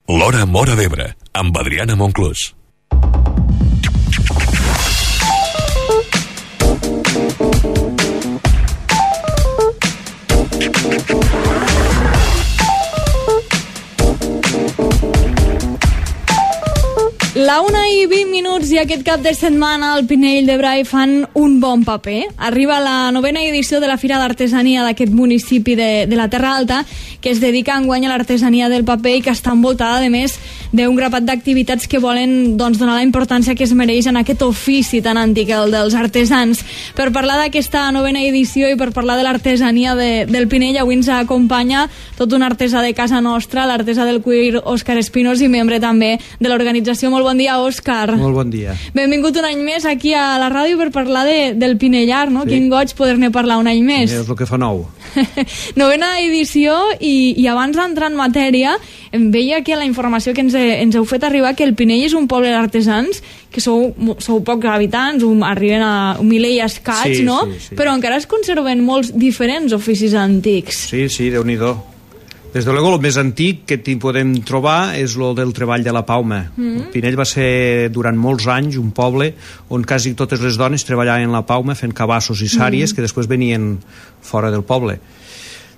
L'Hora Móra d'Ebre, amb Adriana Monclús. La 1:20 i aquest cap de setmana al Pinell de Brai fan un bon paper. Arriba la 9ª edició de la Fira d'Artesania d'aquest municipi de la Terra Alta, que es dedica enguany a l'artesania del paper i que està envoltada, a més, d'un grapat d'activitats que volen donar la importància que es mereix en aquest ofici tan antic, el dels artesans. Per parlar d'aquesta 9ª edició i per parlar de l'artesania del Pinell, avui ens acompanya tot un artesà de casa nostra, l'artesà del cuir Òscar Espinós i membre també de l'organització. Molt bon dia, Òscar. Molt bon dia. Benvingut un any més aquí a la ràdio per parlar del Pinellar, no? Sí. Quin goig poder-ne parlar un any més. És el que fa nou. 9ª edició i abans d'entrar en matèria em veia que la informació que ens heu fet arribar que el Pinell és un poble d'artesans, que sou pocs habitants, arriben a 1.000 i escaig, sí, no? Sí. Però encara es conserven molts diferents oficis antics. Sí, Déu-n'hi-do. Des de luego, el més antic que podem trobar és el del treball de la pauma. El Pinell va ser durant molts anys un poble on quasi totes les dones treballaven la pauma fent cabassos i sàries que després venien fora del poble.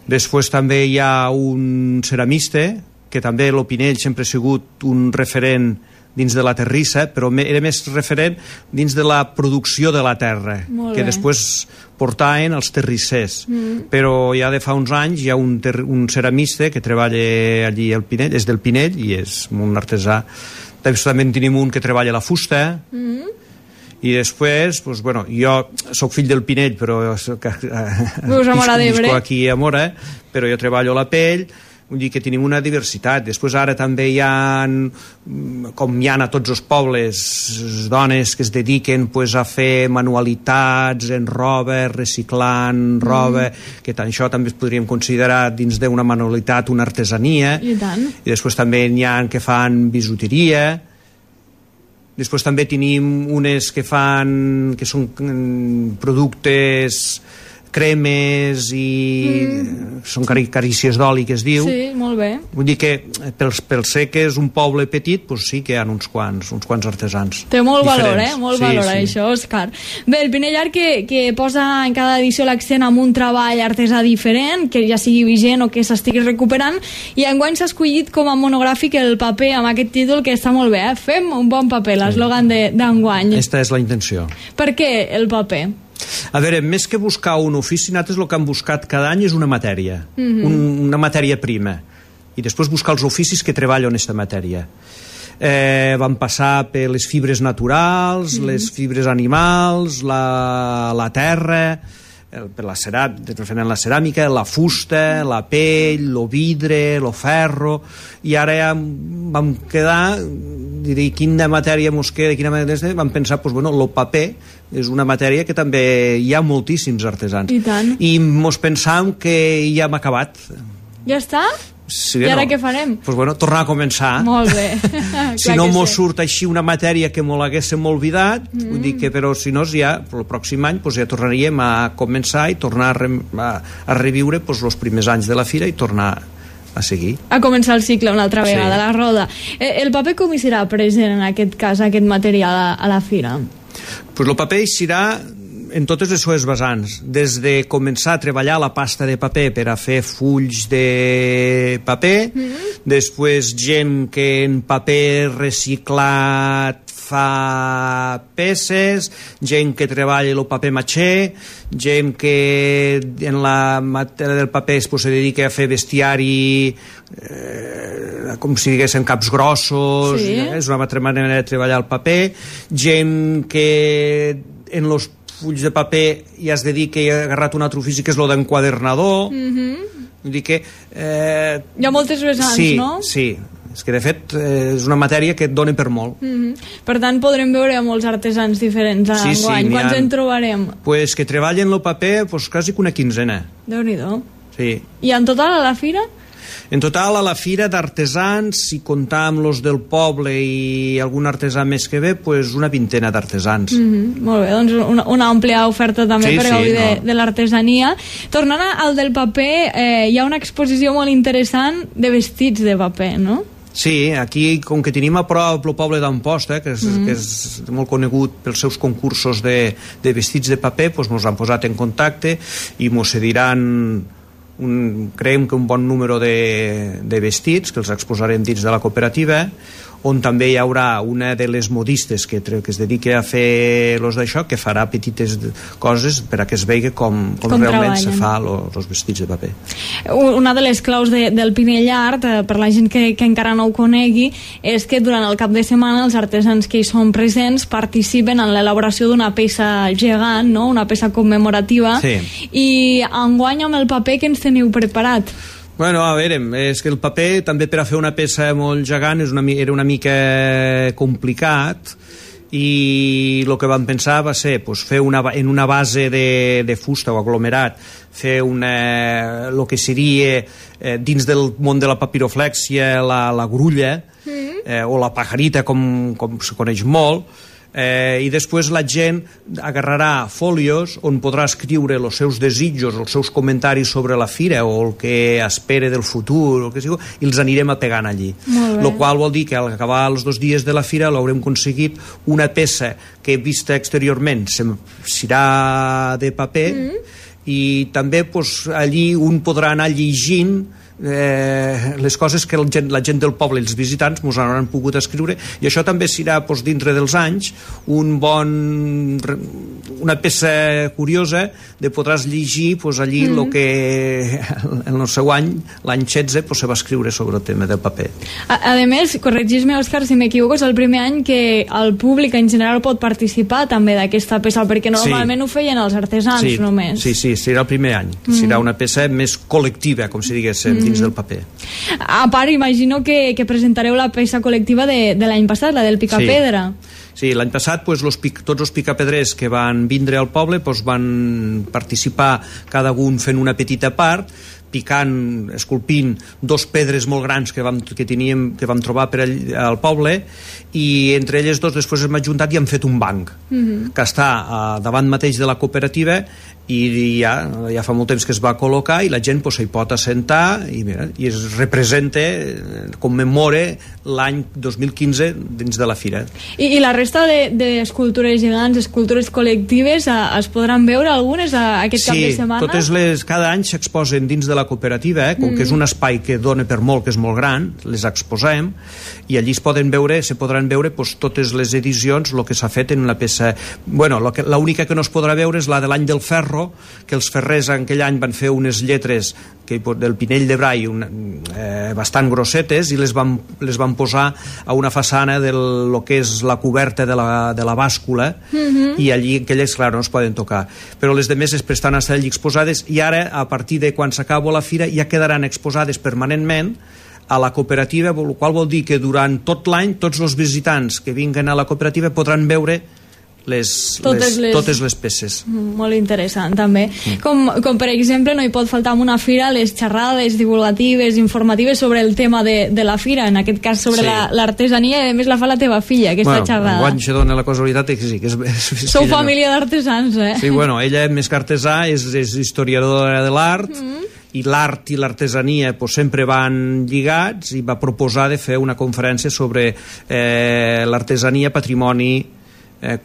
Després també hi ha un ceramista, que també el Pinell sempre ha sigut un referent dins de la terrissa, però era més referent dins de la producció de la terra, que després portaven els terrissers. Però ja de fa uns anys hi ha un ceramista que treballa allí al Pinell, és del Pinell i és un artesà. També en tenim un que treballa la fusta, i després, doncs, bueno, jo soc fill del Pinell, però visco aquí a Móra, però jo treballo la pell. Vull dir que tenim una diversitat. Després ara també hi ha, com hi ha a tots els pobles, dones que es dediquen a fer manualitats en roba, reciclant roba, que això també es podríem considerar dins d'una manualitat, una artesania. I tant. I després també hi ha que fan bisuteria. Després també tenim unes que són productes, cremes i són carícies d'oli, que es diu. Sí, molt bé. Vull dir que pel ser que és un poble petit, doncs sí que hi ha uns quants artesans. Té molt valor, molt valor això, Òscar. Bé, el Pinellar que posa en cada edició l'accent en un treball artesà diferent, que ja sigui vigent o que s'estigui recuperant, i enguany s'ha escollit com a monogràfic el paper, amb aquest títol que està molt bé, Fem un bon paper, l'eslògan d'enguany. Aquesta és la intenció. Per què el paper? A veure, més que buscar un ofici, nosaltres el que hem buscat cada any és una matèria, una matèria prima, i després buscar els oficis que treballen aquesta matèria. Vam passar per les fibres naturals, les fibres animals, la terra, per la ceràmica, la fusta, la pell, el vidre, el ferro, i ara ja vam quedar, diré, quina matèria mos queda, vam pensar, el paper és una matèria que també hi ha moltíssims artesans. I tant. I mos pensàvem que ja hem acabat. Ja està? Sí, I ara què farem? Tornar a començar. Molt bé. Si no mos surt així una matèria que mos l'haguéssim oblidat, vull dir que, però si no, ja el pròxim any ja tornaríem a començar i tornar a reviure els primers anys de la fira i tornar a seguir. A començar el cicle una altra vegada, la roda. El paper com hi serà present en aquest cas, aquest material a la fira? El paper hi serà en totes les seves vessants, des de començar a treballar la pasta de paper per a fer fulls de paper, després gent que en paper reciclat fa peces, gent que treballa el paper matxer, gent que en la matèria del paper se dedica a fer bestiari, com si diguéssim caps grossos, és una altra manera de treballar el paper, gent que en els fulls de paper ja es dedica i ha agarrat un altre ofici que és el d'enquadernador. Vull dir que hi ha moltes vessants, no? Sí, és que de fet és una matèria que et dona per molt. Per tant podrem veure molts artesans diferents enguany. Quants en trobarem? Pues que treballen el paper quasi una quinzena. Déu-n'hi-do. Sí. I en total a la fira? En total, a la fira d'artesans, si comptam los del poble i algun artesà més que ve, una vintena d'artesans. Molt bé, doncs una àmplia oferta també per gaudir de l'artesania. Tornant al del paper, hi ha una exposició molt interessant de vestits de paper, no? Sí, aquí, com que tenim a prop el poble d'Amposta, que és molt conegut pels seus concursos de vestits de paper, doncs ens han posat en contacte i ens cediran creiem que un bon número de vestits que els exposarem dins de la cooperativa, on també hi haurà una de les modistes que es dedica a fer d'això, que farà petites coses per a que es vegi com realment se fa els vestits de paper. Una de les claus del Pinell Art, per la gent que encara no ho conegui, és que durant el cap de setmana els artesans que hi són presents participen en l'elaboració d'una peça gegant, no? Una peça commemorativa, sí. I enguany amb el paper que ens teniu preparat? Bueno, a veure, és que el paper també per a fer una peça molt gegant era una mica complicat, i el que vam pensar va ser fer en una base de fusta o aglomerat, fer el que seria dins del món de la papiroflèxia la grulla, o la pajarita com se coneix molt, i després la gent agarrarà fòlios on podrà escriure els seus desitjos, els seus comentaris sobre la fira o el que espera del futur, el que sigui, i els anirem apegant allí. El qual vol dir que al acabar els 2 dies de la fira l'haurem aconseguit una peça que vista exteriorment serà de paper, i també allí un podrà anar llegint les coses que la gent del poble i els visitants ens han pogut escriure, i això també serà dintre dels anys una peça curiosa de podràs llegir allí el que en el seu any, l'any 16, se va escriure sobre el tema del paper. A més, corregis-me, Òscar, si m'equivoco, és el primer any que el públic en general pot participar també d'aquesta peça, perquè normalment ho feien els artesans només. Sí, serà el primer any, serà una peça més col·lectiva, com si diguéssim, dins del paper. A part, imagino que presentareu la peça col·lectiva de l'any passat, la del Picapedra. Sí, l'any passat tots els picapedrers que van vindre al poble van participar cada un fent una petita part, picant, esculpint 2 pedres molt grans que vam trobar per al poble, i entre elles 2 després hem ajuntat i hem fet un banc que està davant mateix de la cooperativa, i ja fa molt temps que es va col·locar, i la gent s'hi pot assentar i es representa, commemora l'any 2015 dins de la fira. I la resta d'escultures gegants, escultures col·lectives, es podran veure algunes aquest cap de setmana? Sí, cada any s'exposen dins de la cooperativa, com que és un espai que dona per molt, que és molt gran, les exposem, i allí se podran veure totes les edicions, el que s'ha fet en una peça. L'única que no es podrà veure és la de l'any del ferro, que els ferrers en aquell any van fer unes lletres del Pinell de Brai bastant grossetes, i les van posar a una façana del que és la coberta de la bàscula, i allí aquelles, clar, no es poden tocar, però les demés estan a estar allí exposades, i ara, a partir de quan s'acaba la fira, ja quedaran exposades permanentment a la cooperativa, el qual vol dir que durant tot l'any tots els visitants que vinguen a la cooperativa podran veure totes les peces. Molt interessant, també. Com per exemple, no hi pot faltar en una fira les xerrades divulgatives, informatives sobre el tema de la fira, en aquest cas sobre l'artesania, i a més la fa la teva filla, aquesta xerrada. Enguany se dona la casualitat que sí. Sou família d'artesans, eh? Sí, ella més que artesà és historiadora de l'art, i l'art i l'artesania sempre van lligats, i va proposar de fer una conferència sobre l'artesania, patrimoni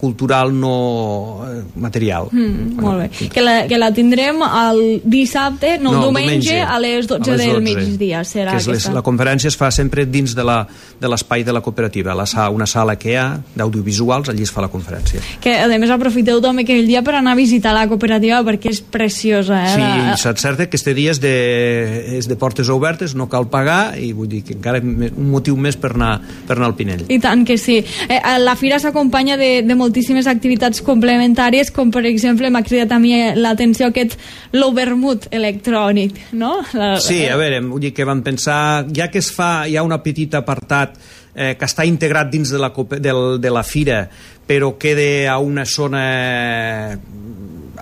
cultural no material. Molt bé. Que la tindrem el dissabte, el diumenge a les 12 del migdia. La conferència es fa sempre dins de l'espai de la cooperativa, una sala que hi ha d'audiovisuals, allí es fa la conferència. Que a més aprofiteu també aquell dia per anar a visitar la cooperativa, perquè és preciosa. Sí, és cert que este dia és de portes obertes, no cal pagar, i vull dir que encara un motiu més per anar al Pinell. I tant que sí. La fira s'acompanya de moltíssimes activitats complementàries, com per exemple m'ha cridat a mi l'atenció l'overmut electrònic, no? Sí, a veure, vull dir que vam pensar, ja que hi ha un petit apartat que està integrat dins de la fira, però queda a una zona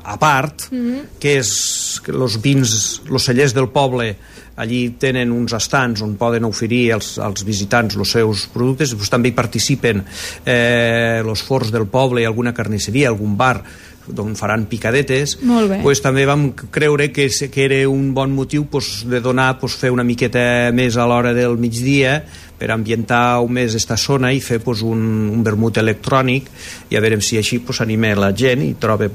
a part, que és els vins, els cellers del poble, allí tenen uns estants on poden oferir als visitants els seus productes, també hi participen els forns del poble i alguna carnisseria, algun bar d'on faran picadetes. Pues, també vam creure que era un bon motiu de donar, fer una miqueta més a l'hora del migdia per ambientar més esta zona i fer un vermut electrònic, i a veure si així anima la gent i troba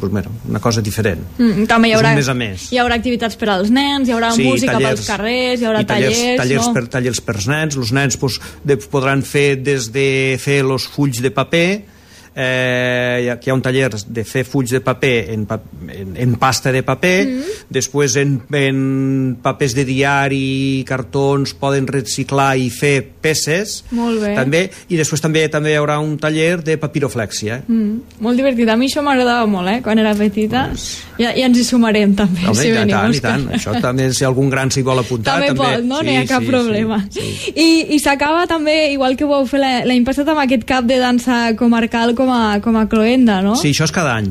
una cosa diferent. També hi haurà, més a més. Hi haurà activitats per als nens, hi haurà música pels carrers, hi haurà tallers per nens. Els nens podran fer des de fer els fulls de paper. Hi ha un taller de fer fulls de paper en pasta de paper, després en papers de diari, cartons, poden reciclar i fer peces. Molt bé. També, i després també hi haurà un taller de papiroflèxia. Molt divertit, a mi això m'agradava molt, quan era petita. Ja ens hi sumarem també. Home, si i tant. Això també, si algun gran s'hi vol apuntar, també pot, no? No hi ha cap problema. I s'acaba també, igual que vau fer l'any passat, amb aquest cap de dansa comarcal com a cloenda, no? Sí, això és cada any.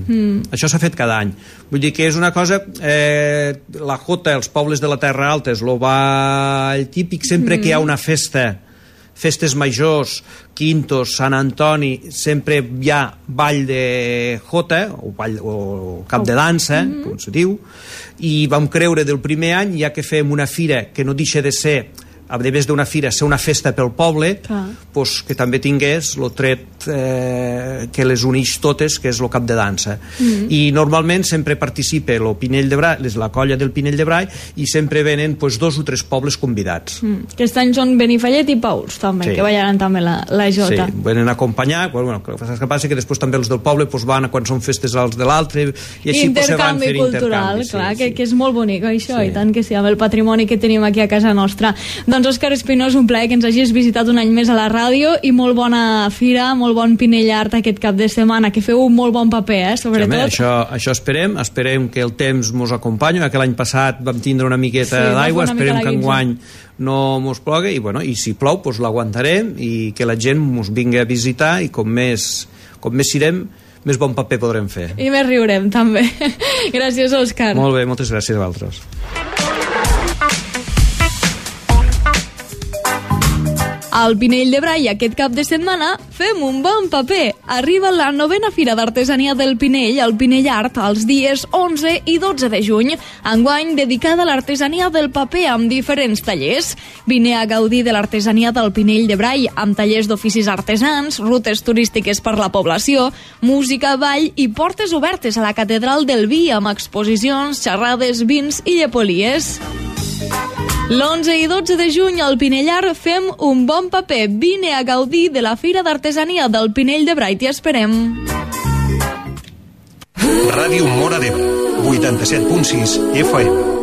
Això s'ha fet cada any. Vull dir que és una cosa... la Jota, els pobles de la Terra Alta, és el ball típic. Sempre que hi ha una festes majors, quintos, Sant Antoni, sempre hi ha ball de Jota, o cap de dansa, com se diu, i vam creure del primer any, ja que fem una fira que no deixa de ser, a més d'una fira, ser una festa pel poble, que també tingués el tret que les uneix totes, que és el cap de dansa. I normalment sempre participa el Pinell de Brai, la colla del Pinell de Brai, i sempre venen 2 o 3 pobles convidats. Aquest any són Benifallet i Pauls, també, que ballaran també la Jota. Sí, venen a acompanyar, el que passa que després també els del poble van quan són festes als de l'altre, i així se van fer cultural, clar, que és molt bonic això, i tant que sí, amb el patrimoni que tenim aquí a casa nostra. Doncs Òscar Espinós, un plaer que ens hagis visitat un any més a la ràdio, i molt bona fira, molt bon Pinell Art aquest cap de setmana, que feu un molt bon paper, sobretot. Això esperem que el temps mos acompanyi, que l'any passat vam tindre una miqueta d'aigua, esperem que enguany no mos plogui, i si plou l'aguantarem, i que la gent mos vingui a visitar, i com més sirem, més bon paper podrem fer. I més riurem, també. Gràcies, Òscar. Molt bé, moltes gràcies a vosaltres. Al Pinell de Brai aquest cap de setmana fem un bon paper. Arriba la 9a Fira d'Artesania del Pinell, el Pinell Art, els dies 11 i 12 de juny, enguany dedicada a l'artesania del paper amb diferents tallers. Vine a gaudir de l'artesania del Pinell de Brai amb tallers d'oficis artesans, rutes turístiques per la població, música, ball i portes obertes a la Catedral del Vi amb exposicions, xerrades, vins i llepolies. L'11 i 12 de juny al Pinellar fem un bon paper. Vine a gaudir de la Fira d'Artesania del Pinell de Brai. T'hi esperem. Ràdio Móra d'Ebre, 87.6 FM.